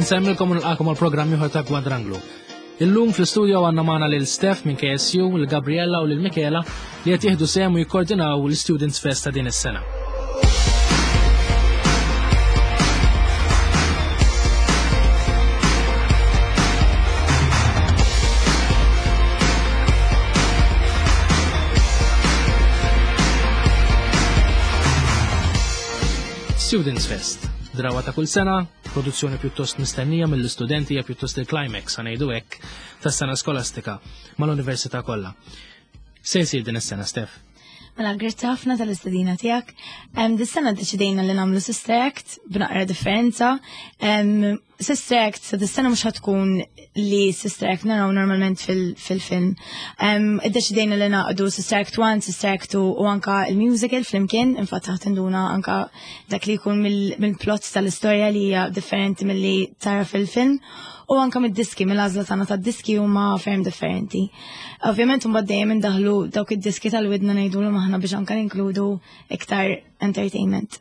Nsemmilkom u nilqakom għal programm ieħor ta' Kwadranglu. Illum fl-istudio għandna magħna lil Steph minn KSU, lil Gabriella u lil Michela li qed jieħdu sehem u jikkordinaw l-Students Fest ta' din is-sena. Students Fest, drawa ta' kull sena, produzzjoni pjuttost mistennija mill-istudenti hija pjuttost il-climax ngħidu hekk tas-sena skolastika mal-università kollha. Se jsir din is-sena, Steph? Mela, grazzi ħafna tal-istedina tiegħek. Dis-sena ddeċidejna li nagħmlu Sister Act b'naqra differenza. Sister Act sa dis-sena mhux tkun li Sister Act naraw normalment fil-film. Iddeċidejna li naqdu Sister Act 1, Sister Act 2 u anka il-musical flimkien, infatti ħadd induna anka dak li jkun mill-plot tal-istorja li hija differenti milli tara fil-film u anka mid-diski, mill-għażla tagħna tad-diski huma ferm differenti. Ovvjament imbagħad dejjem indaħlu dawk id-diski tal-widna ngħidulhom aħna biex anka ninkludu iktar entertainment.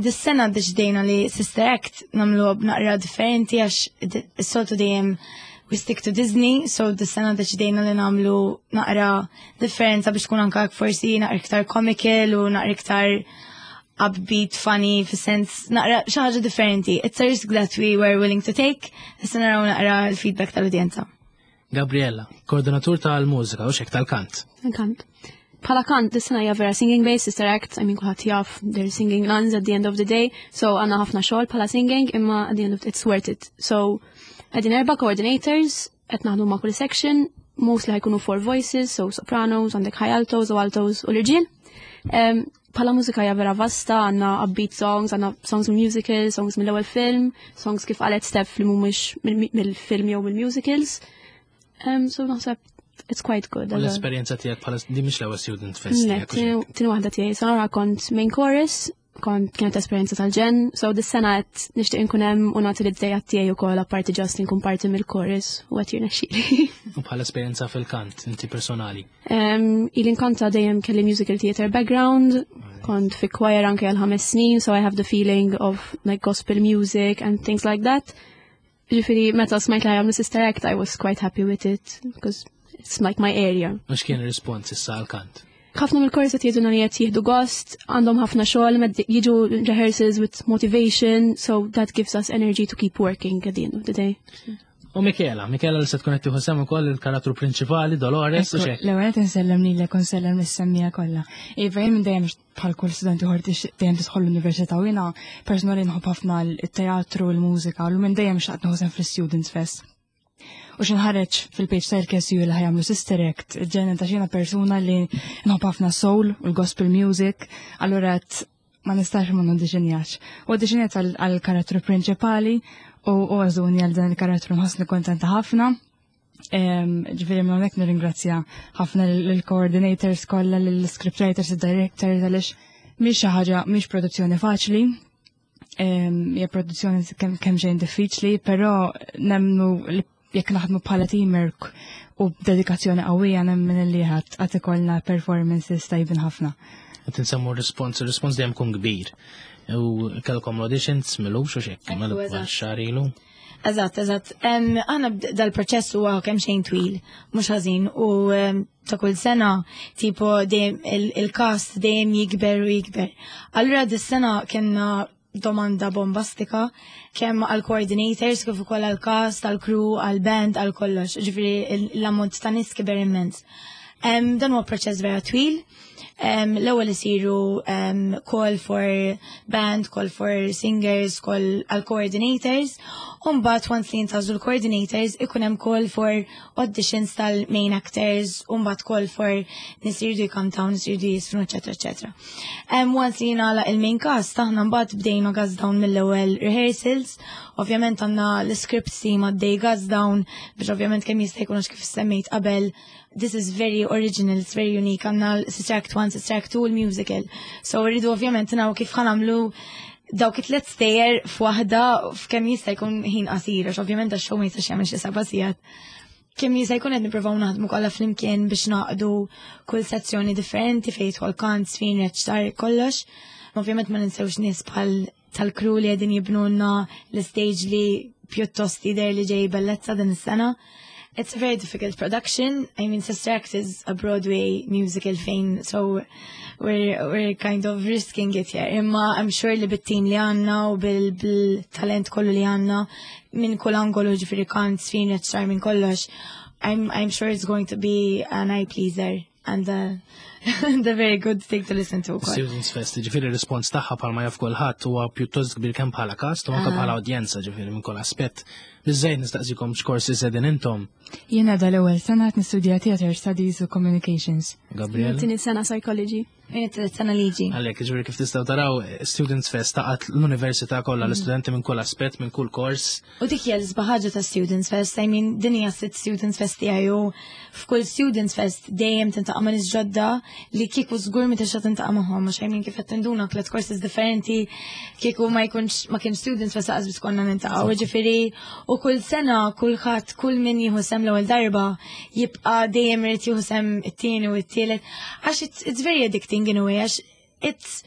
Dis-sena deċidejna li Sister Act nagħmlu b'naqra differenti għax is-soltu dejjem we stick to Disney, so dis-sena deċidejna li nagħmlu naqra differenza biex tkun anka forsi naqra iktar comical u naqra iktar upbeat, funny, fis-sens naqra xi ħaġa differenti. It's a risk that we were willing to take, issa naraw naqra l-feedback tal-udjenza. Gabriella, koordinatur tal-mużika u xek tal-kant. Tal-kant. Bħala kant, dis-sena hija vera singing based, sister act, I mean kulħadd jaf, they're singing nuns at the end of the day, so għandna ħafna xogħol bħala singing, imma at the end of it's worth it. So, qegħdin erba' coordinators, qed naħdmu ma' kull section, mostly ħajkunu four voices, so sopranos, għandek high altos u altos u l-irġiel. Bħala mużika hija vera vasta, għandna upbeat songs, għandna songs mill musicals, songs mill-ewwel film, songs kif qalet Steph li mhumiex mill-film jew mill-musicals. So naħseb it's quite good. L-esperjenza tiegħek bħala di mhix l-ewwel student fest. Le, tieni waħda tiegħi. Sena kont main chorus, kont kienet esperjenza tal-ġen, so dis-sena qed nixtieq inkun hemm u nagħti l-idea tiegħi wkoll apparti just inkun parti mill-chorus u qed jirnexxieli. U bħala esperjenza fil-kant inti personali. Ili nkanta dejjem kelli musical theater background, kont fi choir anke għal ħames snin, so I have the feeling of like gospel music and things like that. Ġifieri meta smajt li għamlu Sister Act, I was quite happy with it, because it's like my area. Mux kien il-respons issa għal-kant? ħafna mill-korsi qed jgħidulna li qed jieħdu gost, għandhom ħafna xogħol, jiġu rehearsals with motivation, so that gives us energy to keep working at the end of the day. U Michela, Michela li se tkun qed tieħu sehem ukoll il-karattru prinċipali Dolores u xejn. L-ewwel qed insellem lilek u nsellem lis-semmija kollha. Iva jien minn dejjem bħal kull student ieħor dejjem tidħol l-università u jiena personali nħobb ħafna t-teatru, l-mużika u minn dejjem xtaqt nieħu sehem fl-Students Fest. U xinħareġ fil-page tal-KSU li ħajamlu Sister Act, ġenen ta' xina persuna li nħobb ħafna soul u l-gospel music, allura ma nistax ma nodiġenjax. U auditionjat għal-karattru prinċipali u għażuni għal dan il-karattru nħossni kontenta ħafna. Ġifieri minn hawnhekk nirringrazzja ħafna lill-coordinators kollha, lill-scriptwriters, id-directors għaliex mhix xi ħaġa mhix produzzjoni faċli. Hija produzzjoni kemm xejn diffiċli, però nemmnu li jekk naħdmu bħala teamwork u b'dedikazzjoni qawwija nemmen li ħadd qatt ikollna performances tajbin ħafna. Qed insemmu r-rispons, ir-rispons dejjem kun kbir. U kellkom l-auditions milux u xekk, mela xahar ilu. Eżatt, eżatt. Aħna dal-proċess huwa kemm xejn twil, mhux ħażin, u ta' kull sena tipo dejjem il-cast dejjem jikber u jikber. Allura dis-sena kellna domanda bombastika kemm għal coordinators kif ukoll għal cast, għal crew, għal band, għal kollox. Ġifieri l-ammont ta' nies kiber immens. Dan huwa proċess vera twil. L-ewwel isiru call for band, call for singers, call għal coordinators, u mbagħad once li jintgħażlu l-coordinators ikun hemm call for auditions tal-main actors, u mbagħad call for nies jridu jkantaw, nies jridu jisfnu, eċetera, eċetera. Once li jingħalaq il-main cast, aħna mbagħad bdejna gas down mill-ewwel rehearsals. Ovvjament għandna l-script team għaddej gas down biex ovvjament kemm jista' jkun għax kif semmejt qabel this is very original, it's very unique, għandna Sister Act 1, Sister Act 2, il-musical. So rridu ovvjament naw kif ħanamlu dawk it-tlet stejjer f'waħda f'kemm jista' jkun ħin qasir, għax ovvjament għax-show ma jistax jagħmel xi seba' sigħat. Kemm jista' jkun qed nippruvaw naħdmu kollha flimkien biex naqdu kull sezzjoni differenti fejn jidħol kant, sfin, reċtar, kollox. Ovvjament ma ninsewx nies bħal tal-crew li qegħdin jibnulna l-stage li pjuttost jidher li ġej bellezza din is-sena. It's a very difficult production. I mean, Sister Act is a Broadway musical fejn, so we're kind of risking it here. Imma I'm sure li bit-team li għandna u bil-talent kollu li għandna minn kull angolu, ġifieri kant, żfin, reċtar, minn kollox, I'm sure it's going to be an eye pleaser and a very good thing to listen to. Students Fest, ġifieri rispons tagħha bħalma jaf kulħadd huwa pjuttost kbir kemm bħala cast u anke bħala udjenza, ġifieri minn kull aspett. Biżejjed nistaqsikom x'korsi sedin intom. Jiena dal-ewwel sena qed nistudja Theater Studies u Communications. Gabriel. Tieni sena Psychology. Jien it-tielet sena liġi. Għalhekk, ġifieri kif tistgħu taraw, Students Fest taqgħat l-università kollha, l-istudenti minn kull aspett, minn kull kors. U dik hija l-isbaħ ħaġa ta' Students Fest, I mean, din hija sitt Students Fest tiegħi u f'kull Students Fest dejjem tintaqa' ma' nies ġodda li kieku żgur ma tista' tintaqa' magħhom, għax I mean kif qed tinduna tliet courses differenti kieku ma jkunx ma kienx Students Fest laqas biss konna nintaqgħu, ġifieri u kull sena kulħadd kull min jieħu sehem l-ewwel darba jibqa' dejjem irid jieħu sehem it-tieni u t-tielet għax it's very addicting in a way, għax it's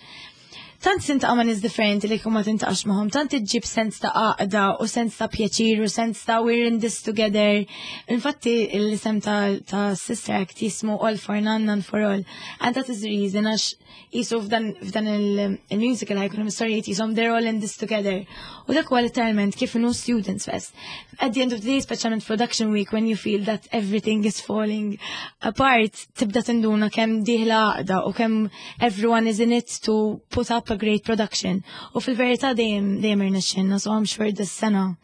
tant tintaqa' ma' nies differenti li ma tintaqax magħhom, tant iġġib sens ta' għaqda u sens ta' pjaċir u sens ta' we're in this together. Infatti l-isem ta' Sister Act jismu All for None, None for All. And that is the reason għax jisu f'dan il-musical ħajkunu mistorijiet jisom they're all in this together. U dak huwa literalment kif inhu Students Fest. At the end of the day, speċjalment production week, when you feel that everything is falling apart, tibda tinduna kemm dieħla għaqda u kemm everyone is in it to put up a great production. U fil-verità dejjem irnexxinna, so I'm sure this sena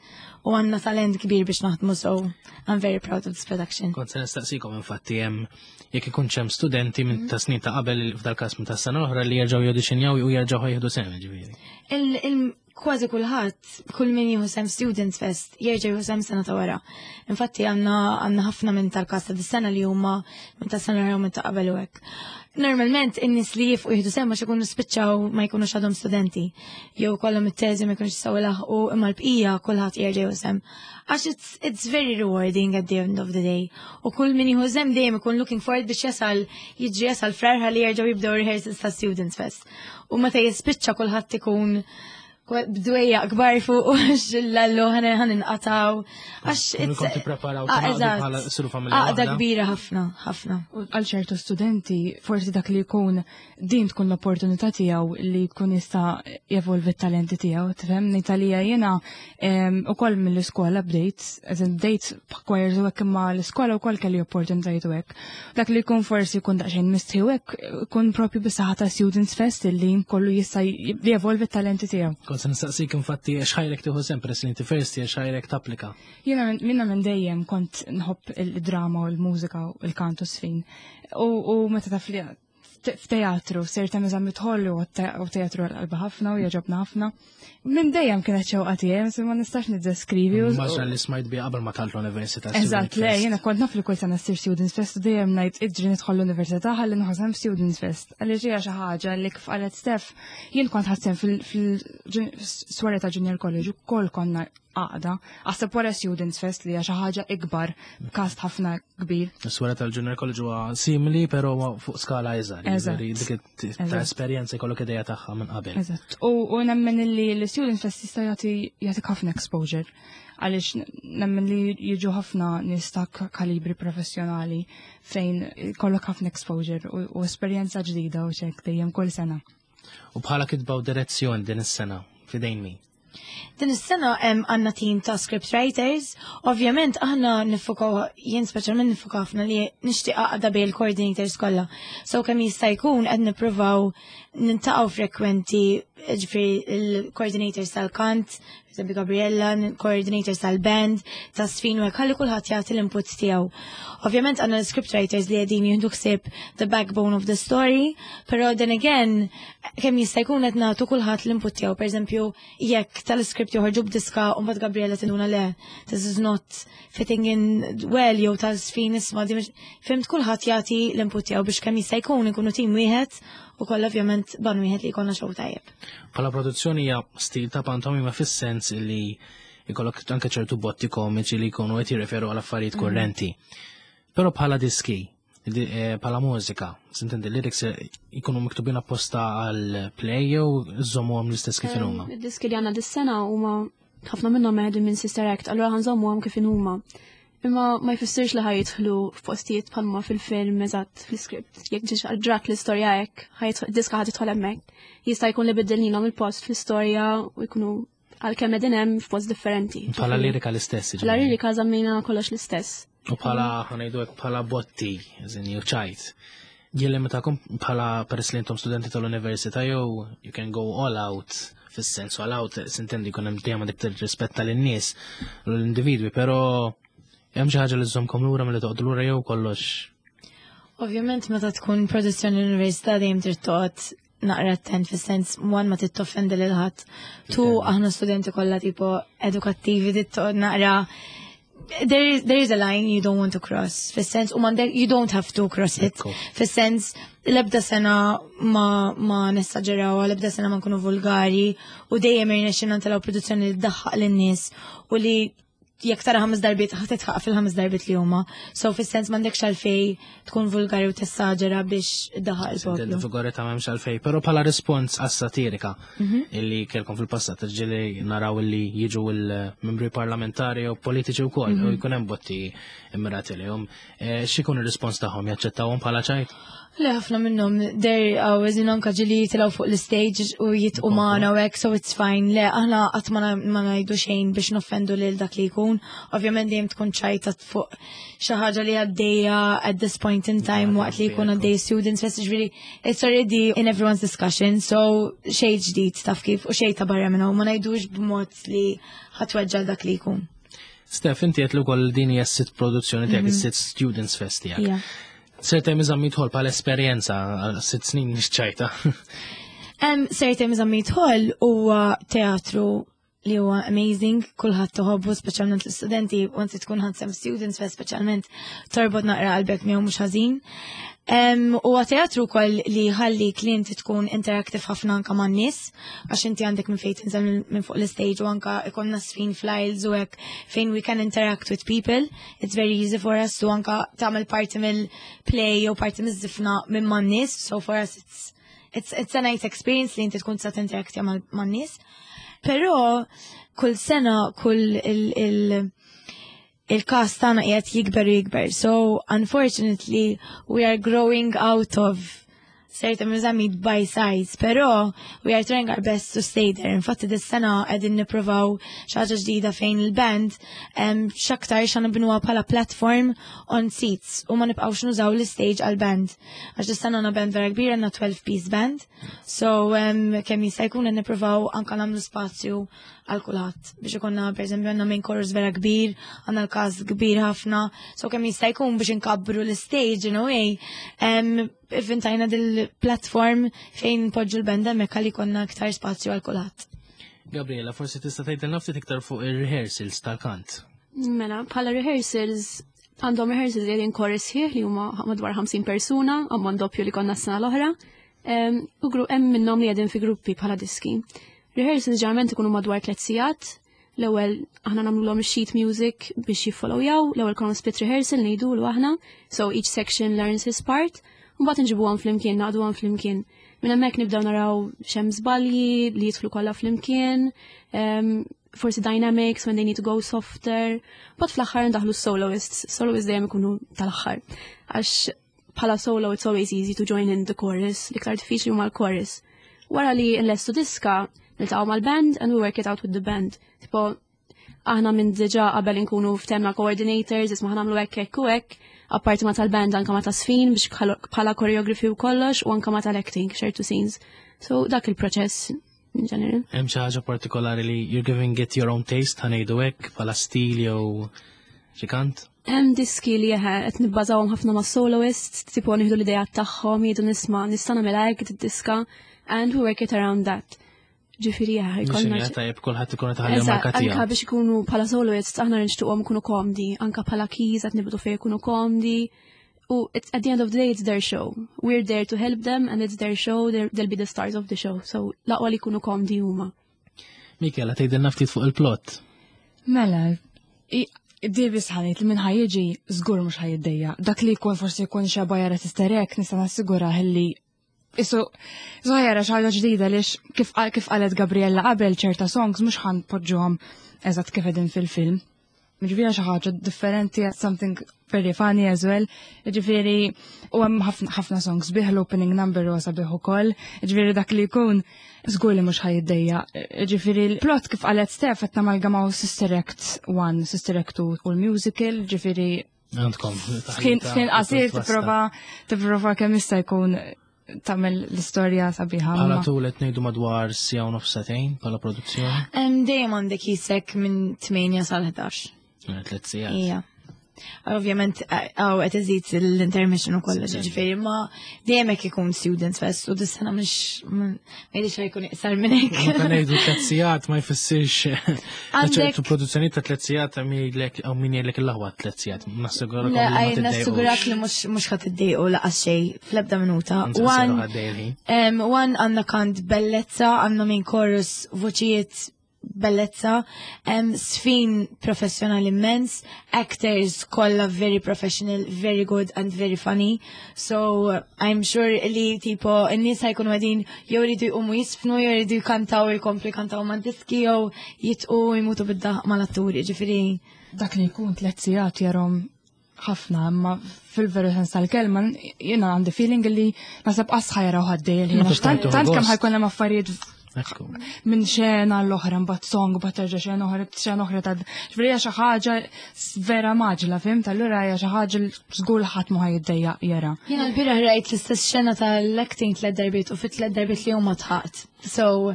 u għandna talent kbir biex naħdmu, so I'm very proud of this production. Kont se nistaqsikom infatti hemm jekk ikun hemm studenti minn ta' snin ta' qabel, f'dal-każ minn ta' sena l-oħra, li jerġgħu jauditionjaw u jerġgħu jieħdu sehem, ġifieri. Kważi kulħadd, kull min jieħu sehem Students Fest, jerġa' jieħu sehem sena ta' wara. Infatti għandna ħafna minn tal-każ ta' dis-sena li huma minn ta' sena u minn ta' qabel u hekk. Normalment in-nies li jifqu jieħdu sehem għax ikunu spiċċaw ma jkunux għadhom studenti, jew kollhom it-teżi ma jkunux jistgħu ilaħqu, imma l-bqija kulħadd jerġa' jieħu sehem. Għax it's very rewarding at the end of the day. U kull min jieħu sehem dejjem ikun looking forward biex jasal jiġri jasal Frar ħalli jerġgħu jibdew rehearsals ta' Students Fest. U meta jispiċċa kulħadd ikun bdwejja kbar fuq u xillallu ħan inqataw. Għax Kun it's kont tippreparaw tingħaqdu bħala siru familja Għaqda waħda. kbira ħafna, ħafna. U għal ċertu studenti, forsi dak li jkun din tkun l-opportunità tiegħu li jkun jista' jevolvi t-talenti tiegħu, tifhem? Ngħid jiena ukoll mill-iskola bdejt, as in bdejt b'choirs u hekk, imma l-iskola wkoll kelli opportunitajiet u hekk. Dak li jkun forsi jkun daqsxejn mistħi u hekk, jkun propju bis-saħħa ta' Students Fest li kollu jista' jevolvi t-talenti tiegħu. Kont se nistaqsik infatti x'ħajrek tieħu sehem, peress li inti first year, x'ħajrek tapplika. Jiena minn dejjem kont nħobb il-drama u l-mużika u l-kantu żfin. U meta taf li f'teatru, ser ta' eżami tħollu u teatru għal-qalba ħafna u jogħġobna ħafna. Minn dejjem kienet xewqa tiegħi, ma nistax niddeskrivi u Maġra li smajt bi qabel ma talt l-università, Eżatt, Student le, Fest. jiena kont naf li kull sena ssir Students Fest u dejjem ngħid iġri nidħol l-università ħalli nieħu sehem Students Fest. Għaliex hija xi ħaġa li kif qalet Steph, jien kont ħadt sehem fil-soirée ta' Junior College u kol konna għaqda. Aħseb wara Students Fest li hija xi ħaġa ikbar, cast ħafna kbir. Is-soirée tal-Junior College huwa simili, però huwa fuq skala iżgħar, jiġifieri dik ta' esperjenza jkollok idea tagħha minn qabel. Eżatt. U nemmen li l-Students Fest jista' jagħtik ħafna exposure, għaliex nemmen li jiġu ħafna nies ta' kalibri professjonali fejn kollok ħafna exposure u esperjenza ġdida u ċek dejjem kull sena. U bħala kitba u direzzjoni din is-sena f'idejn min? Din is-sena hemm għandna team ta' script writers. Ovvjament aħna nifukaw, jien speċjalment nifukaw ħafna li nixtieq għaqda bejn il-coordinators kollha. So kemm jista' jkun qed nippruvaw nintaqgħu frekwenti, ġifieri il-coordinators tal-kant, eżempju Gabriella, coordinators tal-band, ta' żfin u hekk, ħalli kulħadd jagħti l-input tiegħu. Ovvjament għandna l-script writers li qegħdin jieħdu ħsieb the backbone of the story, però then again kemm jista' jkun qed nagħtu kulħadd l-input tiegħu. Per eżempju, jekk tal-script joħorġu b'diska u mbagħad Gabriella tinduna le, this is not fitting in well, jew tal-żfin isma' di mhux, fhimt, kulħadd jagħti l-input tiegħu biex kemm jista' jkun ikunu tim wieħed u kollha ovvjament ban wieħed li jkollna show tajjeb. Bħala produzzjoni hija stil ta' pantomima fis-sens li jkollok anke ċertu botti komiċi li jkunu qed jirreferu għal affarijiet kurrenti. Però bħala diski, Bħala mużika, sintendi lyrics jkunu miktubin apposta għal play jew żommuhom l-istess kif huma. Id-diski li għandna dis-sena huma ħafna minnhom meħdin minn Sister Act, allura ħa nżommuhom kif huma. Imma ma jfissirx li ħa jidħlu f'postijiet bħalma fil-film eżatt fl-script. Jekk ġiġ ġrat l-istorja hekk, diska ħa tidħol hemmhekk. Jista' jkun li biddilnilhom il-post fl-istorja u jkunu għalkemm qegħdin hemm f'post differenti. Bħala lirika l-istess. Bħala lirika żammejna kollox l-istess. U bħala ħa ngħidu hekk bħala botti, eżin jew ċajt. Jillimitakom bħala peress li intom studenti tal-università jew you can go all out fis-sens all out sintendi jkun hemm dejjem dik rispett tal-nies u l-individwi, però hemm xi ħaġa li żżommkom lura milli toqgħodu lura jew kollox. Ovvjament meta tkun produzzjoni l-università dejjem trid toqgħod naqra attent fis-sens one ma tittoffendi lil ħadd. Two aħna studenti kollha tipo edukattivi trid toqgħod naqra there is a line you don't want to cross. Fis-sens u m'għandek you don't have to cross it. Fis-sens l-ebda sena ma nessaġeraw, l-ebda sena ma nkunu vulgari u dejjem irnexxina ntelgħu produzzjoni li tdaħħaq lin-nies u li jekk tara ħames darbiet ħa tidħaq fil-ħames darbiet li huma. So fis-sens m'għandekx għalfej tkun vulgari u tessaġera biex iddaħħaq il-poplu. Vulgarità m'hemmx għalfej, però bħala rispons għas-satirika illi kellkom fil-passat, ġieli naraw illi jiġu il-membri parlamentari u politiċi wkoll u jkun hemm botti immirati lejhom. X'ikun ir-rispons tagħhom jaċċettawhom bħala ċajt? Le ħafna minnhom they're always in anka ġieli jitilgħu fuq l-stage u jidħqu magħna u hekk, so it's fine. Le aħna qatt ma ngħidu xejn biex noffendu lil dak li jkun. Ovvjament dejjem tkun ċajta fuq xi ħaġa li għaddejja at this point in time waqt li jkun għaddej students fest ġifieri it's already in everyone's discussion, so xejn ġdid taf kif u xejn ta' barra minnhom ma ngħidux b'mod li ħa tweġġa' dak li jkun. Steph, inti qed ukoll din hija s-sitt produzzjoni tiegħek, is-sitt Students Fest tiegħek. Yeah. Sir Temi Zammit Hall bħala esperjenza għal 6 snin mhix ċajta. Sir Temi Zammit Hall huwa teatru li huwa amazing, kulħadd toħobbu, speċjalment l-istudenti, once tkun ħadt sehem Students Fest speċjalment torbot naqra qalbek miegħu mhux ħażin. Huwa teatru wkoll li ħalli li inti tkun interactive ħafna anka man-nies, għax inti għandek minn fejn tinżel minn fuq l-stage u anka ikollna żfin fl-aisles u hekk fejn we can interact with people. It's very easy for us to anka tagħmel parti mill-play jew parti miż-żifna minn man-nies, so for us it's a nice experience li inti tkun tista' tinteraktja man-nies. Però kull sena, kull il-cast tagħna qiegħed jikber u jikber. So unfortunately we are growing out of Sir Temi Zammit by size, però we are trying our best to stay there. Infatti dis-sena qegħdin nippruvaw xi ħaġa ġdida fejn il-band x'aktar xa nibnuha bħala platform on seats u ma nibqgħux nużaw l-stage għal-band. Għax dis-sena għandna band vera kbira, għandna 12 piece band. So kemm jista' jkun qed nippruvaw anka nagħmlu spazju għal kulħadd biex ikollna pereżempju għandna main chorus vera kbir, għandna l-cast kbir ħafna, so kemm jista' jkun biex inkabbru l-stage in a way. Ivvintajna dil-platform fejn poġġu l-band hemmhekk għalli jkollna aktar spazju għal kulħadd. Gabriela, forsi tista' tgħidilna ftit iktar fuq ir-rehearsals tal-kant. Mela, bħala rehearsals, għandhom rehearsals li chorus sħiħ li huma madwar 50 persuna, ammont doppju li konna s-sena l-oħra. U hemm minnhom li qegħdin fi gruppi bħala diski. Rehearsals ġeneralment ikunu madwar 3 sigħat. L-ewwel aħna nagħmluhom sheet music biex jiffollowjaw, l-ewwel konna split rehearsal ngħidu l aħna, so each section learns his part, u mbagħad nġibuhom flimkien, naqduhom flimkien. Minn hemmhekk nibdew naraw x'hemm żbalji li jidħlu kollha flimkien, forsi dynamics when they need to go softer, but fl-aħħar ndaħlu soloists, soloists dejjem ikunu tal-aħħar. Għax bħala solo it's always easy to join in the chorus, l-iktar diffiċli huma l-chorus. Wara li nlestu diska, niltaqgħu mal-band and we work it out with the band. Tipo, aħna minn diġà qabel inkunu ftehemna coordinators, isma' ħa nagħmlu hekk hekk u hekk, apparti ma tal-band anka ma ta' żfin biex bħala choreography u kollox u anka ma tal-acting, ċertu scenes. So dak il-proċess in general. Hemm xi ħaġa partikolari li you're giving it your own taste ħa ngħidu hekk bħala stil jew xi kant? Hemm diski li jeħe qed nibbażawhom ħafna ma' soloists, tipo nieħdu l-idea tagħhom, jgħidu nisma' nista' nagħmilha hekk id-diska and we work it around that. Ġifieri jeħe jkollna. Tajjeb kulħadd ikun tħalli marka tiegħu. Anka biex ikunu bħala soloists aħna nixtuqhom ikunu komdi, anka bħala keys qed nibdu fejn ikunu komdi. U at the end of the day it's their show. We're there to help them and it's their show, they'll be the stars of the show. So l-aqwa li jkunu komdi huma. Michela, tgħidilna ftit fuq il-plot. Mela, Davis ħanit li minn ħajġi żgur mhux ħajiddejja. Dak li jkun forsi jkun xeba jara Sister Act nista' nassigura li Isu, isu ħajara xi ħaġa ġdida lix kif kif qalet Gabriella qabel ċerta songs mhux ħan poġġuhom eżatt kif qegħdin fil-film. Ġifieri xi ħaġa differenti, something very funny as well. Ġifieri u hemm ħafna songs bih l-opening number huwa sabiħ ukoll. Ġifieri dak li jkun żgur li mhux ħajiddejja. Ġifieri l-plot kif qalet Steph qed namalgamaw Sister Act 1, Sister Act 2 u l-musical, ġifieri Għandkom. F'ħin qasir tipprova tipprova kemm jista' jkun tagħmel l-istorja sabiħa. Bħala tul qed ngħidu madwar sija u nofsatejn bħala produzzjoni. Dejjem għandek jisek minn 8 sal-11. Tliet sigħat. Ija. Ovvjament, għaw qed iżid l-intermission u kollox, ġifieri, ma dejjem hekk ikun Students Fest u dis-sena mhux ma jidhirx jkun iqsar minn hekk. Meta ngħidu tliet sigħat ma jfissirx ċertu produzzjoni ta' tliet sigħat min jgħidlek hawn min jgħidlek il-aħwa tliet sigħat. Nassigurak Le, għaj, nassigurak li mhux ħadd iddejqu laqas xejn fl-ebda minuta. One għandna kant bellezza, għandna minn chorus voċijiet bellezza, sfin professjonali immens, actors kollha very professional, very good and very funny. So I'm sure li tipo n-nies ħajkunu qegħdin jew iridu jqumu jisfnu, jew iridu jkantaw jkomplu jkantaw ma' diski jew jitqu jmutu bid-daħq mal-atturi, ġifieri. Dak li jkun tliet sigħat jarhom ħafna, imma fil-veru sens tal-kelma jiena għandi feeling li nasab qas ħajra u ħaddej il-ħin. Tant kemm ħajkun hemm affarijiet minn xena l-oħra, mbagħad song, mbagħad terġa' xena oħra, xena oħra ta' ġifieri hija xi ħaġa vera maġla, fimt? Allura hija xi ħaġa li żgur ħadd ma ħajiddejjaq jara. Jiena l-bieraħ rajt l-istess xena tal-acting tliet darbiet u fit tliet darbiet li huma tħaqt. So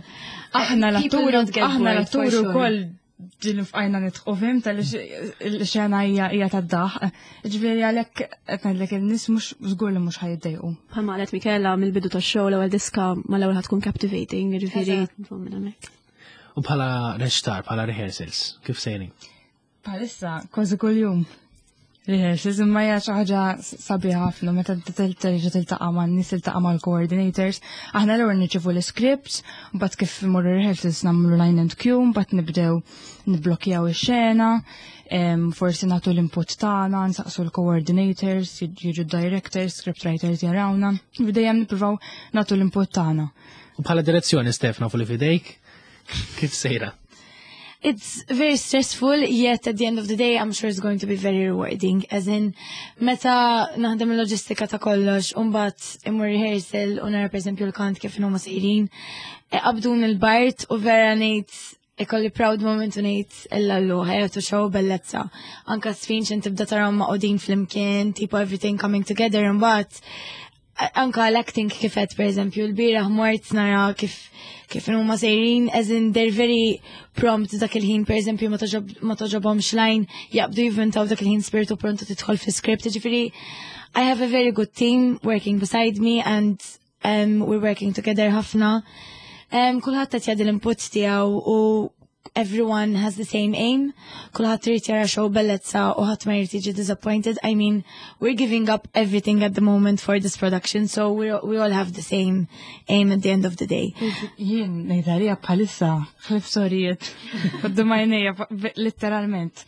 aħna l-atturi, aħna l-atturi wkoll ġil fqajna nitħu fim tal-xena hija tad-daħ. Ġifieri għalhekk qed ngħidlek in-nies mhux żgur li mhux ħajiddejqu. Bħalma qalet Mikela mill-bidu tax-show l-ewwel diska mal-ewwel ħatkun captivating, ġifieri minn hemmhekk. U bħala reċtar, bħala rehearsals, kif sejrin? Bħalissa kważi kuljum. Rehearsals imma hija xi ħaġa sabiħa ħafna meta terġa' tiltaqa' man-nies, tiltaqa' mal-coordinators. Aħna l-ewwel nirċievu l-scripts, mbagħad kif imorru rehearsals nagħmlu line and cue, mbagħad nibdew nibblokjaw ix-xena, forsi nagħtu l-input tagħna, nsaqsu l-coordinators, jiġu directors, script writers jarawna. Dejjem nippruvaw nagħtu l-input tagħna. U bħala direzzjoni Stefna fuq li fidejk, kif sejra? It's very stressful, yet at the end of the day, I'm sure it's going to be very rewarding. As in, meta naħdem il-loġistika ta' kollox, umbagħad immur rehearsal u nara per esempio l-kant kif huma sejrin, qabdun il-bart u vera ngħid ikolli proud moment u ngħid illallu ħajatu show bellezza. Anka sfin x'in tibda tarahom maqudin flimkien, tipo everything coming together imbagħad anka l-acting kifet per eżempju l-bieraħ mort nara kif kif huma sejrin as in they're very prompt dak il-ħin per eżempju ma toġobhomx line jaqbdu jivvintaw dak il-ħin spiritu pronto tidħol fi script ġifieri I have a very good team working beside me and we're working together ħafna. Kulħadd qed jagħti l-input tiegħu u everyone has the same aim. Kulħadd irid jara show bellezza u ħadd ma jrid jiġi disappointed. I mean, we're giving up everything at the moment for this production, so we all have the same aim at the end of the day. Jien ngħidha bħalissa ħlif sorijiet quddiem għajnejja letteralment.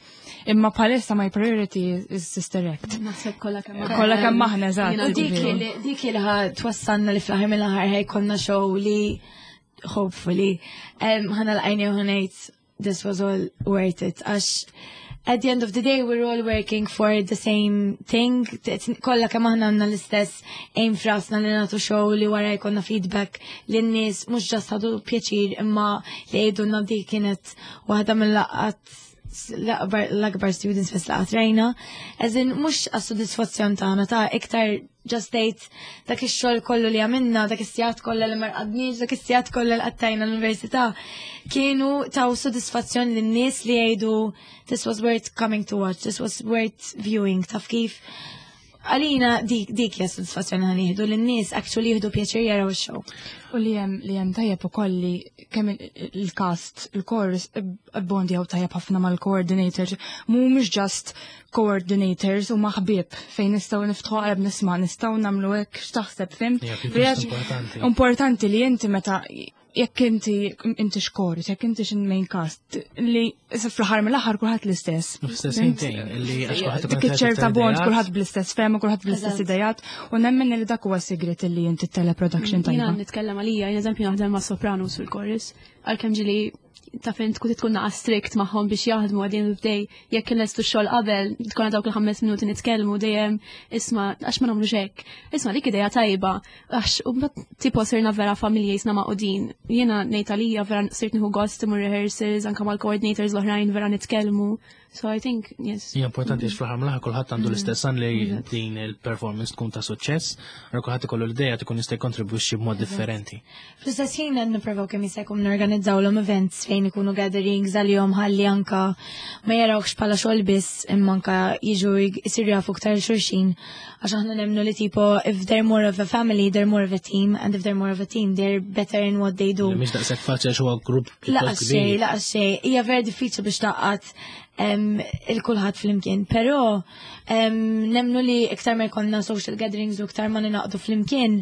Imma bħalissa my priority is Sister Act. Naħseb kollha kemm Kollha kemm aħna eżatt. U dik li ħa twassalna li fl-aħħar mill-aħħar ħajkollna show li hopefully ħa nagħlaq għajni u ħa ngħid this was all worth it. Għax at the end of the day we're all working for the same thing. Kollha kemm aħna għandna l-istess aim f'rasna li nagħtu show li wara jkollna feedback li n-nies mhux just ħadu pjaċir imma li jgħidulna dik kienet waħda mill-laqgħat l-akbar students fest laqat rajna. As in, mhux għas-sodisfazzjon tagħna ta' iktar just state dak ix-xogħol kollu li għamilna, dak is-sigħat kollha li ma rqadniex, dak is-sigħat kollha li qattajna l-università, kienu taw sodisfazzjon lin-nies li jgħidu this was worth coming to watch, this was worth viewing, taf kif. Għalina dik hija sodisfazzjoni ħa nieħdu lin-nies actually jieħdu pjaċir jaraw ix-show. U li hemm tajjeb ukoll li kemm il-cast, il-chorus bondjaw tajjeb ħafna mal-coordinators, mhumiex just coordinators u maħbib fejn nistgħu niftħu qalb nisma' nistgħu nagħmlu hekk x'taħseb fimt. Importanti. Importanti li inti meta Jekk inti inti xkorus, jekk inti xin main cast, li fl-aħħar mill-aħħar kulħadd l-istess. L-istess intejn, li għax kulħadd Dik iċ-ċerta bond, kulħadd bl-istess fehma, kulħadd bl-istess idejat, u nemmen li dak huwa sigrit li inti teleproduction Jiena tajba. nitkellem għalija, jien eżempju naħdem ma' sopranos fil-chorus, għalkemm ġili ta' fejn tkun tkun naqa strict magħhom biex jaħdmu at the end of the day, jekk inlestu x-xogħol qabel, tkun dawk il-5 minuti nitkellmu dejjem isma' għax ma nagħmlux hekk. Isma' dik idea tajba, għax u mbagħad tipo sirna vera familja jisna maqudin. Jiena ngħid għalija vera sirt nieħu gost imur rehearsals anke mal-coordinators l-oħrajn vera nitkellmu. So I think, yes. Hija importanti għax fl-aħħar mill-aħħar kulħadd għandu l-istess għan li din il-performance tkun ta' suċċess, għal kulħadd ikollu l-idea tkun jista' jkontribwixxi b'mod differenti. Fl-istess ħin qed nipprovaw kemm jista' jkun norganizzawlhom events fejn ikunu gatherings għalihom ħalli anka ma jarawx bħala xogħol biss imma anka jiġu jsiru jafu iktar xulxin għax aħna nemmnu li tipo if they're more of a family, they're more of a team, and if they're more of a team, they're better in what they do. Li mhix daqshekk faċli għax huwa grupp pjuttost Laqas xej, kbir. laqas xej. Hija vera diffiċli biex taqgħad il-kulħadd flimkien, però nemnu li iktar ma jkollna social gatherings u iktar ma ninaqdu flimkien,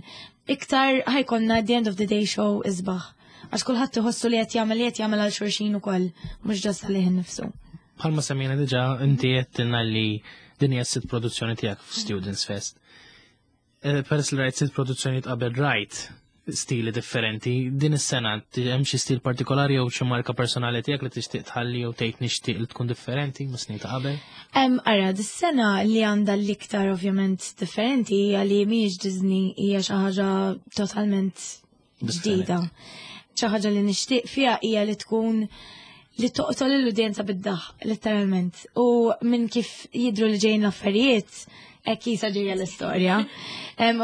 iktar ħa jkollna at the end of the day show isbaħ. Għax kulħadd iħossu li qed jagħmel li qed jagħmel għal xulxin ukoll, mhux just għalih innifsu. Bħalma semmejna diġà, inti għedtilna li din hija s-sitt produzzjoni tiegħek f'Students Fest. Peress li rajt sitt produzzjoni qabel rajt stili differenti, din is-sena hemm xi stil partikolari jew xi marka personali tiegħek li tixtieq tħalli jew tgħid nixtieq li tkun differenti mis snin ta' qabel? Ara, dis-sena li għandha l-iktar ovvjament differenti hija li mhijiex Disney, hija xi ħaġa totalment ġdida. Xi ħaġa li nixtieq fiha hija li tkun li toqtol l-udjenza bid-daħ, letteralment. U minn kif jidru li ġejjin l-affarijiet, hekk jisa ġejja l-istorja.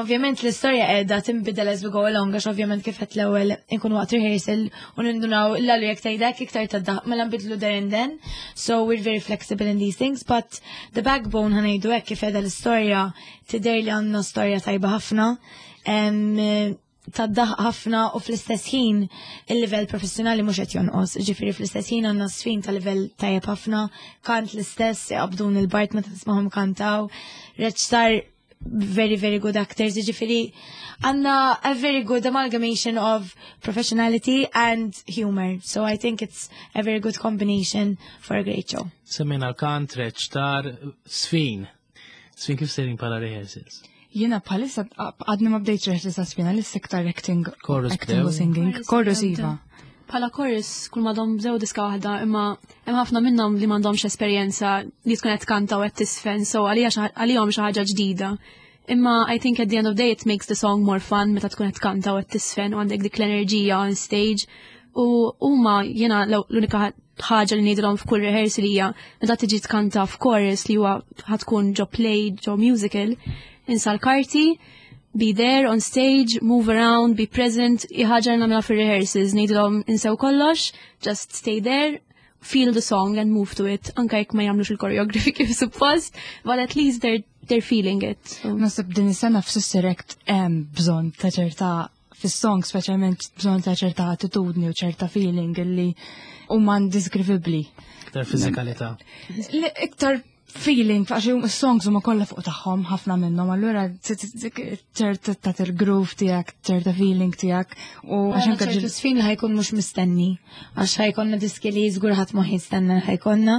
Ovvjament l-istorja qiegħda tinbidel as we go along, għax ovvjament kif qed l-ewwel inkunu waqt rehearsal u nindunaw l-għalu jekk tgħidek iktar tad-daħ, mela nbidlu there and then. So we're very flexible in these things, but the backbone ħa ngħidu hekk kif qiegħda l-istorja tidher li għandna storja tajba ħafna. Tad-daħ ħafna u fl-istess ħin il-livell professjonali mhux qed jonqos. Ġifieri fl-istess ħin għandna sfin ta' livell tajjeb ħafna, kant l-istess, jaqbdun il-bart meta nismagħhom kantaw, reċtar very, very good actors, ġifieri għandna a very good amalgamation of professionality and humor. So I think it's a very good combination for a great show. Semmejna l-kant, reċtar, sfin. Sfin kif sejrin bħala rehearsals? Jiena bħalissa għadni ma bdejtx rehearsals ta' sfina, l-issa iktar acting, Chorus acting u bdew. singing. Chorus Chorus bdew. iva. Bħala chorus kull madhom bdew diska waħda, imma hemm ħafna minnhom li m'għandhomx esperjenza li tkun qed tkanta u qed tisfen, so għalihom xi ħaġa ġdida. Imma I think at the end of the day it makes the song more fun meta tkun qed tkanta u qed tisfen u għandek dik l-enerġija on stage. U huma jiena l-unika ħaġa li ngħidilhom f'kull rehearsal hija meta tiġi tkanta f'chorus li huwa ħatkun ġo play, ġo musical, insa l-karti, be there on stage, move around, be present, ħaġa li nagħmilha fir-rehearsals, ngħidilhom insew kollox, just stay there, feel the song and move to it, anka jekk ma jagħmlux il-choreography kif suppost, but at least they're feeling it. So. Naħseb din is-sena f'Sister Act hemm bżonn ta' ċerta fis-song speċjalment bżonn ta' ċerta attitudni u ċerta feeling illi huma indescrivibli. Iktar fiżikalità. Iktar feeling, għax is-songs huma kollha fuq tagħhom ħafna minnhom, allura ċerta ta' il-groove tiegħek, ċerta feeling tiegħek u għax anke ċertu sfin li ħa jkun mhux mistenni, għax ħa jkollna diski li żgur ħadd ma jistenna li ħa jkollna.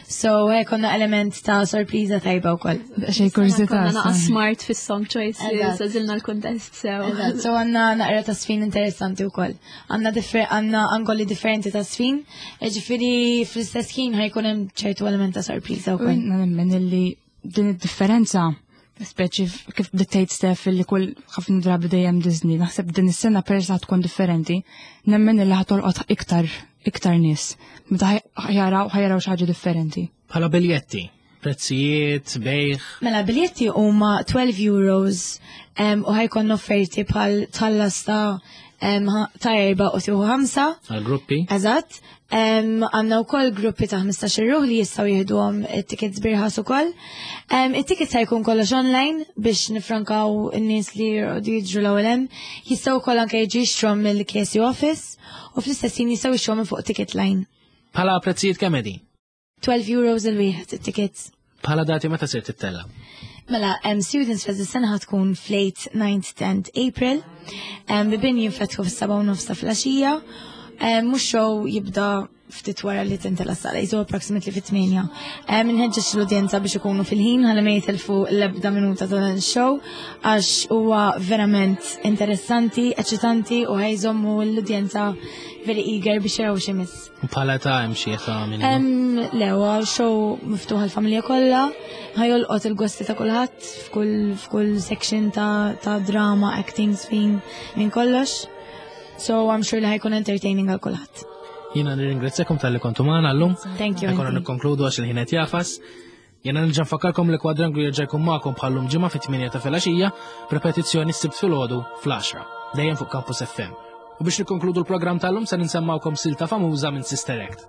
So ħa jkollna element ta' sorpriża tajba wkoll. Xej kurżità. Konna naqa smart fis-song choices, għażilna l-kuntest sew. Eżatt, so għandna naqra ta' sfin interessanti wkoll. Għandna angoli differenti ta' sfin, ġifieri fl-istess ħin ħa jkun hemm ċertu element ta' sorpriża wkoll. Jiena nemmen illi din id-differenza, speċi kif bdiet Steph illi kull ħafna drabi dejjem Disney, naħseb din is-sena persa tkun differenti, nemmen illi ħa tolqot iktar nies. Meta ħa jaraw xi ħaġa differenti. Bħala biljetti, prezzijiet, bejħ. Mela, biljetti huma 12 euros u ħa jkun offerti bħal tħallas ta' 4 u tieħu 5. Għal gruppi. Eżatt. Għandna wkoll gruppi ta' 15 ruħ li jistgħu jieħduhom it-tickets b'irħas ukoll. It-tickets ħa jkun kollox online biex nifrankaw in-nies li jqogħdu jiġru l-ewwel hemm. Jistgħu wkoll anke jiġu jixtruhom mill-KSU office u fl-istess ħin jistgħu jixtruhom minn fuq ticket line. Bħala prezzijiet kemm qegħdin? 12 euros il-wieħed it-tickets. Bħala dati meta ser tittella? Mela, Students Fest is-sena tkun fl-8, 9, 10 April. Bibien jinfetħu fis-7 u nofs ta' filgħaxija. Mhux show jibda ftit wara li tintela sala, jizu approximately fit-8. Nħeġġeġ l-udjenza biex ikunu fil-ħin ħalli ma jitilfu l-ebda minuta ta' dan show għax huwa verament interessanti, eċitanti u ħa jżommu l-udjenza very eager biex jaraw x'imiss. U bħala ta' hemm xi età minima? Le, huwa show miftuħ għall-familja kollha, ħa jolqot il-gosti ta' kulħadd f'kull section ta' drama, acting, sfin, minn kollox. So I'm sure li ħa jkun entertaining għal kulħadd. Jiena nirringrazzjakom talli kontu magħna llum. Thank you. Ħa jkollna nikkonkludu għax il-ħin qed jagħfas. Jiena nerġa' nfakkarkom li Kwadranglu jerġa' jkun magħkom bħallum ġimgħa fit-8 ta' filgħaxija, b'repetizzjoni s-Sibt filgħodu fl-10. Dejjem fuq Campus FM. U biex nikkonkludu l-programm tal-lum se nsemmgħukom silta famuża minn Sister Act.